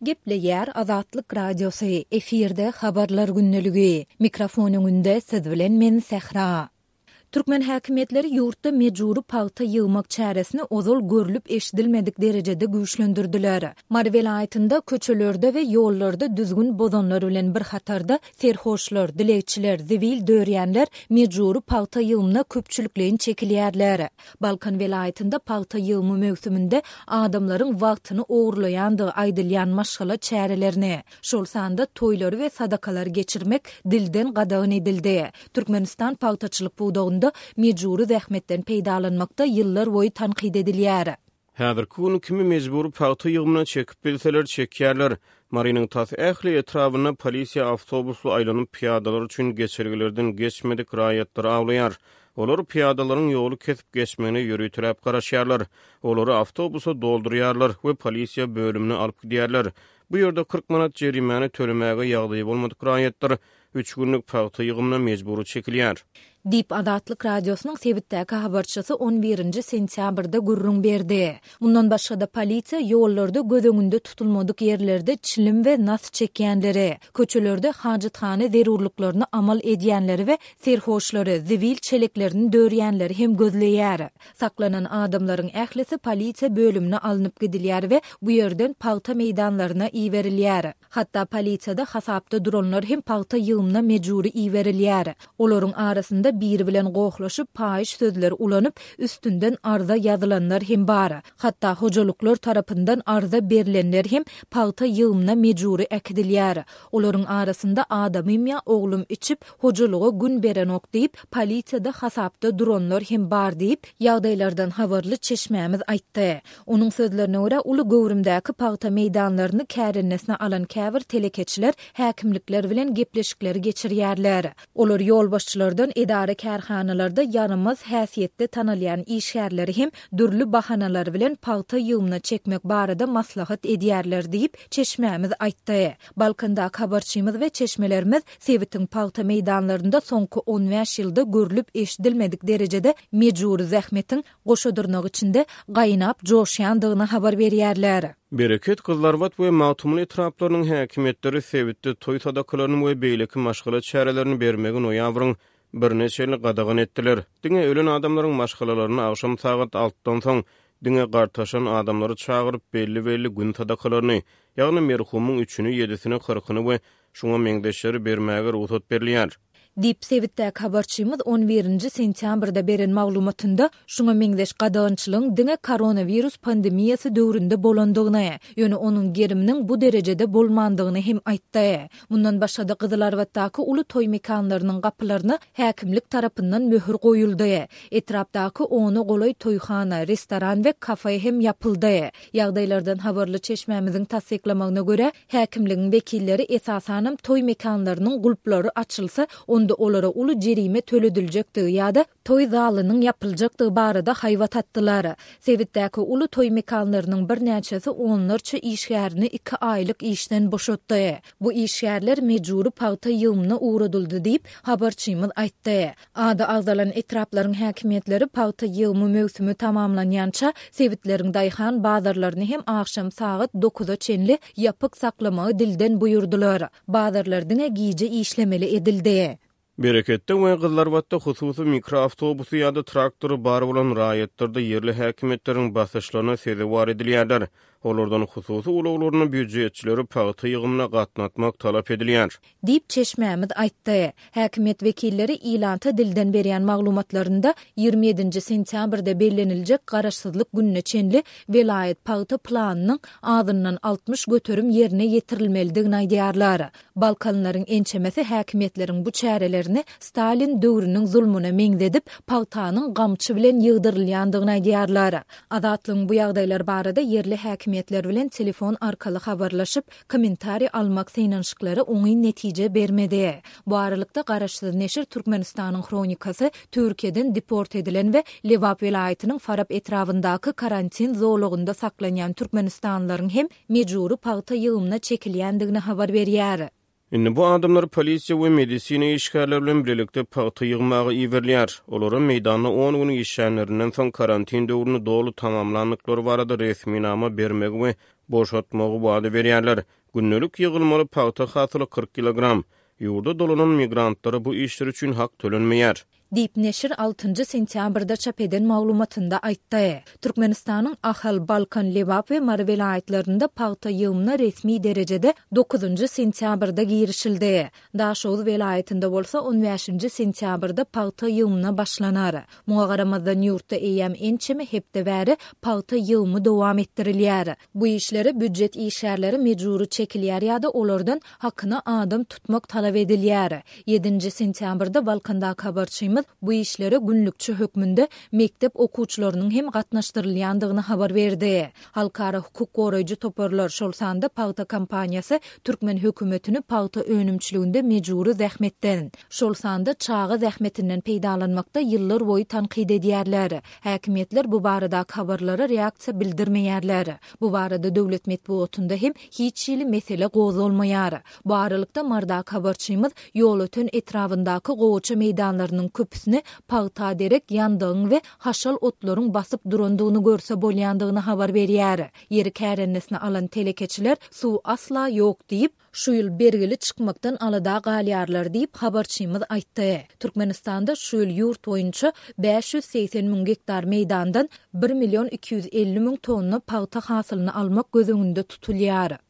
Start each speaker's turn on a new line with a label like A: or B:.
A: Gepleýär Azatlyk Radiosy, efirde Habarlar gündeligi. Mikrofon öňünde siz bilen men Sähra. Türkmen häkimiýetleri ýurtda mejbury pagta ýygmak çäresini ozal görlüp-eşidilmedik derejede güýçlendirdiler. Mary welaýatynda köçelerde we ýollarda düzgün bozanlar bilen bir hatarda serhoşlar, dilegçiler, zibil dörýänler mejbury pagta ýygymyna köpçülikleýin çekilýärler. Balkan welaýatynda pagta ýygymy möwsüminde adamlaryň wagtyny ogurlaýandygy aýdylýan maşgala çärelerini, şol sanda toýlary we sadakalary geçirmek dilden gadagan edildi. Türkmenistan pagtaçylyk pudagynda mejbury zähmetden peýdalanmakda ýyllarboýy tankyt edilýär.
B: Häzirki gün kimi mejbury pagta ýygymyna çekip bilseler çekýärler. Marynyň tas ähli etrabynda polisiýa awtobusly aýlanyp pyýadalar üçin geçelgelerden geçmedik raýatlary awlaýar. Olar pyýadalaryň ýoly kesip geçmegine ýöriteläp garaşýarlar. Olary awtobusa doldurýarlar we polisiýa bölümine alyp gidýärler. Bu ýerde 40 manat jerimäni tölemäge ýagdaýy bolmadyk raýatlar üç günlük pagta ýygymyna mejbury çekilýär.
A: Diýip, Azatlyk Radiosynyň sebitdäki habarçysy on birinji sentýabrda gürrüň berdi. Mundan başga-da, polisiýa ýollarda göz öňünde tutulmadyk ýerlerde çilim we nas çekýänleri, köçelerde hajathana zerurlyklaryny amal edýänleri we serhoşlary, zibil çeleklerini dörýänleri hem gözleýär. Saklanan adamlaryň ählisi polisiýa bölümine alnyp gidilýär we bu ýerden pagta meýdanlaryna iberilýär. Hatda polisiýada hasapda duranlar hem pagta ýygymyna mejbury iberilýär. Olaryň arasynda biri bilen gohlaşyp, paýyş sözler ulanyp, üstünden arza ýazylanlar hem bar. Hatda hojalyklar tarapyndan arza berlenler hem pagta ýygymyna mejbury äkidilýär. Olaryň arasynda adamym ýa oglum içip, hojalyga gün berenok diýip, polisiýada hasapda duranlar hem bar diýip, ýagdaýlardan habarly çeşmämiz aýtdy. Onuň sözlerine görä, uly göwrümdäki pagta meýdanlaryny kärendesinä alan käbir telekeçiler häkimlikler bilen gepleşikleri geçirýärler. Olar ýolbaşçylardan edara-kärhanalarda ýaramaz häsiýetde tanalýan işgärleri hem dürli bahanalar bilen pagta ýygymyna çekmek barada maslahat edýärler diýip, çeşmämiz aýtdy. Balkandaky habarçymyz we çeşmelerimiz sebitiň pagta meýdanlarynda soňky on bäş ýylda görlüp-eşidilmedik derejede mejbury zähmetiň goşa dyrnak içinde, gaýnap joşýandygyny habar berýärler.
B: Bereket, Gyzlarbat we Magtymguly etraplarynyň häkimiýetleri sebitde toý sadakalaryny we beýleki maşgala çärelerini bermegi noýabryň birine çenli gadagan etdiler. Diňe ölen adamlaryň maşgalalaryny agşam sagat altydan soň, diňe gartaşan adamlary çagyryp, belli-belli gün sadakalaryny, ýagny merhumyň üçüni, ýedisini, kyrkyny we şuňa meňzeşleri bermäge rugsat berilýär.
A: Diýip, sebitdäki habarçymyz on birinji sentýabrda beren maglumatynda şuňa meňzeş gadagançylygyň diňe koronawirus pandemiýasy döwründe bolandygyny, ýöne onuň geriminiň bu derejede bolmandygyny hem aýtdy. Mundan başga-da, Gyzylarbatdaky uly toý mekanlarynyň gapylaryna häkimlik tarapyndan möhür goýuldy. Etrapdaky ona golaý toýhana, restoran we kafe hem ýapyldy. Ýagdaýlardan habarly çeşmämiziň tassyklamagyna görä, Häkimligiň wekilleri esasanam toý mekanlarynyň gulplary açylsa, onda olara uly jerime tölediljekdigi ýa-da toý zalynyň ýapyljakdygy barada haýbat atdylar. Sebitdäki uly toý mekanlarynyň birnäçesi onlarça işgärini iki aýlyk işden boşatdy. Bu işgärler mejbury pagta ýygymyna ugradyldy diýip, habarçymyz aýtdy. Ady agzalan etraplaryň häkimiýetleri pagta ýygymy möwsümi tamamlanýança, sebitleriň daýhan bazarlaryny hem agşam sagat dokuza çenli ýapyk saklamagy dilden buýurdylar. Bazarlar diňe gije işlemeli edildi.
B: Bereketde we Gyzlarbatda hususy mikroawtobusy ýa-da traktory bar bolan raýatlar-da ýerli häkimiýetleriň basyşlaryna sezewar edilýärler. Olardan hususy ulaglaryny býujetçileri pagta ýygymyna gatnatmak talap edilýär.
A: Diýip, çeşmämiz aýtdy. Häkimiýet wekilleri ilata dilden berýän maglumatlarynda 27-nji sentýabrda belleniljek Garaşsyzlyk gününe çenli welaýat pagta planynyň azyndan 60% ýerine ýetirilmelidigini aýdýarlar. Balkanlylaryň ençemesi häkimiýetleriň bu çärelerini Stalin döwrüniň zulmuna meňzedip, pagtanyň gamçy bilen ýygdyrylýandygyny aýdýarlar. Azatlygyň bu ýagdaýlar barada ýerli häkimiýetler bilen telefon arkaly habarlaşyp, kommentariý almak synanyşyklary oňyn netije bermedi. Bu aralykda, garaşsyz neşir Türkmenistanyň Hronikasy Türkiýeden deport edilen we Lebap welaýatynyň Farap etrabyndaky karantin zolagynda saklanýan türkmenistanlylaryň hem mejbury pagta ýygymyna çekilýändigini habar berýär.
B: Indi bu adamlar polisiýa we medisina işgärleri bilen bilelikde pagta ýygmaga iberilýär. Olara meýdanda on gün işlänlerinden soň karantin döwrüni doly tamamlandyklary barada resminama bermegi we Boşatmagy wada berýärler. Gündelik ýygylmaly pagta hasyly 40 kilogram. Ýurda dolanan migrantlara bu işleri üçin hak tölenmeýär.
A: Diýip, neşir altynjy sentýabrda çap eden maglumatynda aýtdy. Türkmenistanyň Ahal, Balkan, Lebap we Mary welaýatlarynda pagta ýygymyna resmi derejede dokuzynjy sentýabrda girişildi. Daşoguz welaýatynda bolsa on bäşinji sentýabrda pagta ýygymyna başlanar. Muňa garamazdan, ýurtda eýýäm ençeme hepde bäri pagta ýygymy dowam etdirilýär. Bu işlere býujet işgärleri mejbury çekilýär ýa-da olardan hakyna adam tutmak talap edilýär. Ýedinji sentýabrda Balkandaky habarçymyz bu işlere günlükçi hökmünde mekdep okuwçylarynyň hem gatnaşdyrylýandygyny habar berdi. Halkara hukuk goraýjy toparlar, şol sanda pagta kampaniýasy türkmen hökümetini pagta önümçiliginde mejbury zähmetden, şol sanda çaga zähmetinden peýdalanmakda ýyllarboýy tankyt edýärler. Häkimiýetler bu baradaky habarlara reaksiýa bildirmeýärler. Bu barada döwlet metbugatynda hem hiç hili mesele gozgalmaýar. Bu aralykda, Marydaky habarçymyz Ýolöten etrabyndaky gowaça meýdanlarynyň köpüsini pagta derek ýandagyň we haşal otlaryň basyp durandygyny görse bolýandygyny habar berýär. Ýeri kärendesine alan telekeçiler suw asla ýok diýip, şu ýyl bergili çykmakdan alada galýarlar diýip, habarçymyz aýtdy. Türkmenistanda şu ýyl ýurt boýunça 580 müň gektar meýdandan bir million 250 müň tonna pagta hasylyny almak göz öňünde tutulýar.